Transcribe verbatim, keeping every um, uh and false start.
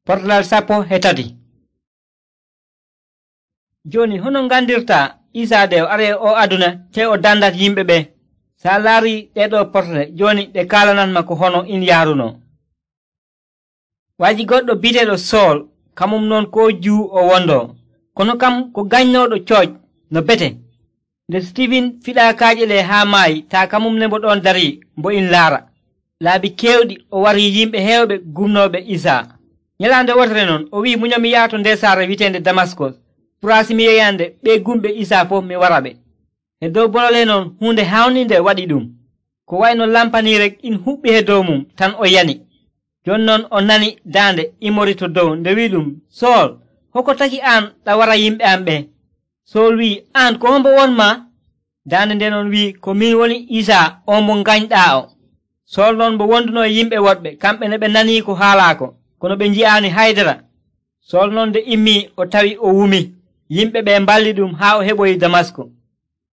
Portalal sappo e tati. Joni hono ngandirta Isa de o ari o aduna te o dandat yimɓe ɓe? Sa laari ɗeɗo portale joni ɗe kalanatma ko hono in yaaruno. Waaji goɗɗo biteɗo Sool, kamum noon ko Juu o wondo, kono kam ko ganynoɗo cooc no bete. Nde Stivin fiɗa kaaƴe ɗe haa maayi, taa kamum ne mbo ɗon darii mbo in laara. Laabi kewɗi o wari yimɓe heewɓe gumnoɓe Isa. Nyalaande wotere noon o wi munyomi yaha to nder saare wi'etende Damaskos, puraasi mi yeyande ɓe gumɓe Isa fof mi wara ɓe. E dow bolole noon hunde hawninde waɗi ɗum, ko wayno lampani rek in huɓɓi he dow mum tan o yani. Jon non o nani daande imori to dow nde wi ɗum, Sool, hoko taki an ɗa wara yimɓe am ɓe? Sool wi, an ko hombo wonma? Daande nde noon wi, ko min woni Isa on mo gañɗaa o. Sool noon mbo wonduno e yimɓe woɗɓe, kamɓe ne ɓe nanii ko haalaako, kono ɓe nji'aani haydara. Sool noon nde immii o tawi o wumi. Yimɓe ɓe mballi ɗum haa o heɓoyi Damasko.